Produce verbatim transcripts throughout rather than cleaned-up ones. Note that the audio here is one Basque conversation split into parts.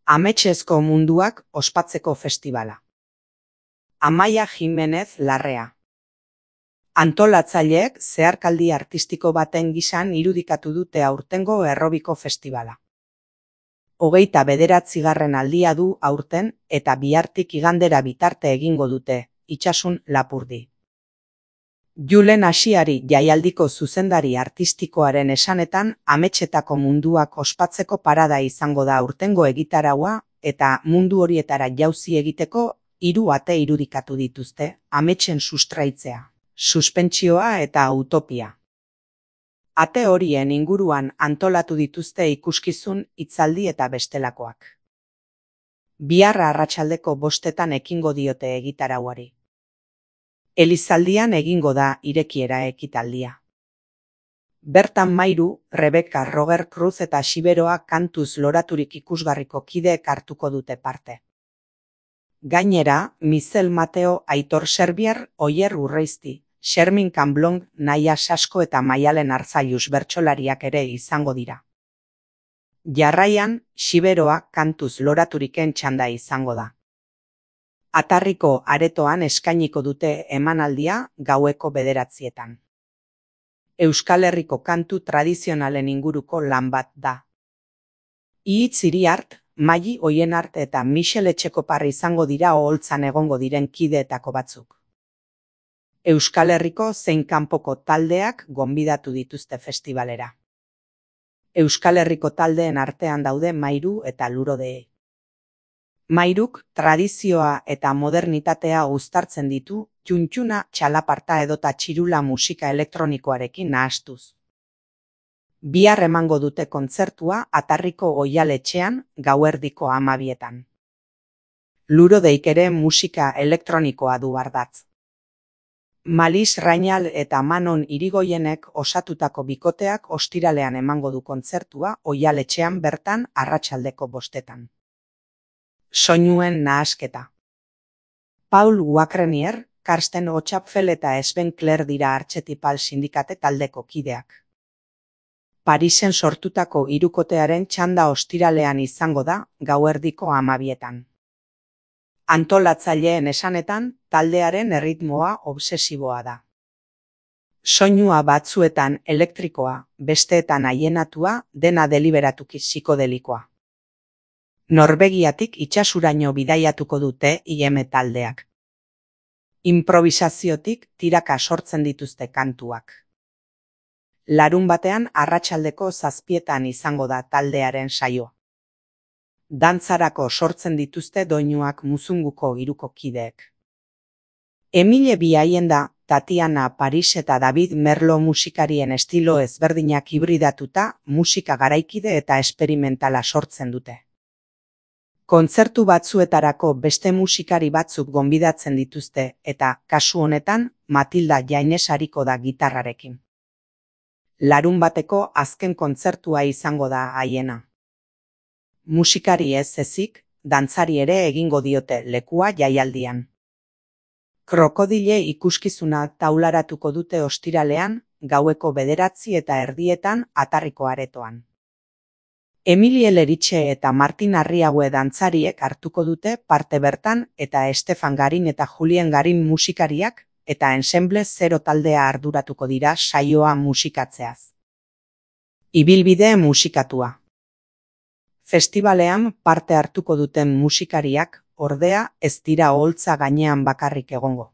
Ametsezko munduak ospatzeko festibala. Amaia Jimenez Larrea. Antolatzaileek zeharkaldi artistiko baten gisan irudikatu dute aurtengo Errobiko festibala. Hogeita bederatzigarren aldia du aurten eta bihartik igandera bitarte egingo dute, Itsasun Lapurdi. Julen Asiari jaialdiko zuzendari artistikoaren esanetan ametsetako munduak ospatzeko parada izango da aurtengo egitaraua eta mundu horietara jauzi egiteko hiru ate irudikatu dituzte, ametsen sustraitzea, suspentsioa eta utopia. Ate horien inguruan antolatu dituzte ikuskizun, hitzaldi eta bestelakoak. Bihar arratsaldeko bostetan ekingo diote egitarauari. Elizaldian egingo da irekiera ekitaldia. Bertan Mairu, Rebeka, Roger Cruz eta Xiberoa kantuz loraturik ikusgarriko kideek hartuko dute parte. Gainera, Mizel Mateo, Aitor Serbier, Oier Urreizti, Xermin Kanblong, Naia Sasko eta Maialen Arzailuz bertsolariak ere izango dira. Jarraian, Xiberoa kantuz loraturiken txanda izango da. Atarriko aretoan eskainiko dute emanaldia gaueko bederatzietan. Euskal Herriko kantu tradizionalen inguruko lan bat da. Ihitz Iriart, Maili Oienart eta Michel Etxekoparri izango dira oholtzan egongo diren kideetako batzuk. Euskal Herriko zein kanpoko taldeak gonbidatu dituzte festivalera. Euskal Herriko taldeen artean daude Mairu eta Lurodee. Mairuk tradizioa eta modernitatea uztartzen ditu, txuntxuna, txalaparta edota txirula musika elektronikoarekin nahastuz. Bihar emango dute kontzertua Atarriko Oihaletxean gauerdiko hamabietan. Lurodeik ere musika elektronikoa du ardatz. Malis Rainal eta Manon Irigoienek osatutako bikoteak ostiralean emango du kontzertua Oihaletxean bertan arratsaldeko bostetan. Soinuen nahasketa. Paul Wakrenier, Karsten Otxapfel eta Sven Kler dira Artxetipal sindikate taldeko kideak. Parisen sortutako hirukotearen txanda ostiralean izango da gauerdiko hamabietan. Antolatzaileen esanetan, taldearen erritmoa obsesiboa da. Soinua batzuetan elektrikoa, besteetan haienatua, dena deliberatuki psikodelikoa. Norvegiatik itsasuraino bidaiatuko dute I M taldeak. Improvisaziotik tiraka sortzen dituzte kantuak. Larun batean arratsaldeko zazpietan izango da taldearen saioa. Dantzarako sortzen dituzte doinuak Muzunguko hiruko kideek. Emile Biaienda, Tatiana Paris eta David Merlo musikarien estilo ezberdinak hibridatuta musika garaikide eta esperimentala sortzen dute. Kontzertu batzuetarako beste musikari batzuk gonbidatzen dituzte eta, kasu honetan, Matilda Jaines ariko da gitarrarekin. Larun bateko azken kontzertua izango da haiena. Musikari ez ezik, dantzari ere egingo diote lekua jaialdian. Krokodile ikuskizuna taularatuko dute ostiralean, gaueko bederatzi eta erdietan Atarriko aretoan. Emilie Leritxe eta Martin Arriague dantzariek hartuko dute parte bertan eta Estefan Garin eta Julien Garin musikariak eta Ensemble Zero taldea arduratuko dira saioa musikatzeaz. Ibilbide musikatua. Festivalean parte hartuko duten musikariak, ordea, ez dira oholtza gainean bakarrik egongo.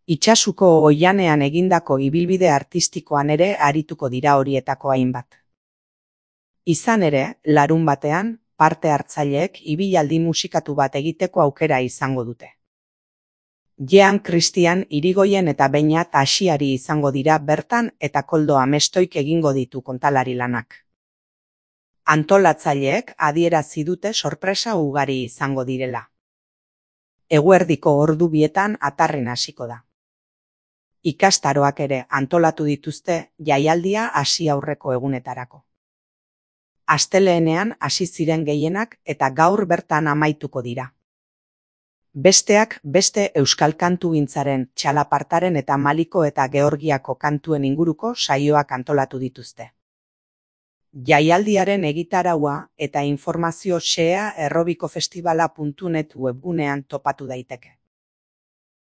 Itsasuko oihanean egindako ibilbide artistikoan ere arituko dira horietako hainbat. Izan ere, larun batean, parte hartzaileek ibilaldi musikatu bat egiteko aukera izango dute. Jean Christian Irigoien eta Beñat Asiari izango dira bertan eta Koldo Amestoik egingo ditu kontalari lanak. Antolatzaileek adierazi dute sorpresa ugari izango direla. Eguerdiko ordu bietan Atarren hasiko da. Ikastaroak ere antolatu dituzte jaialdia hasi aurreko egunetarako. Asteleenean hasi ziren gehienak eta gaur bertan amaituko dira. Besteak beste euskal kantugintzaren, txalapartaren eta Maliko eta Georgiako kantuen inguruko saioak antolatu dituzte. Jaialdiaren egitaraua eta informazio xehea errobikofestibala puntu net webgunean topatu daiteke.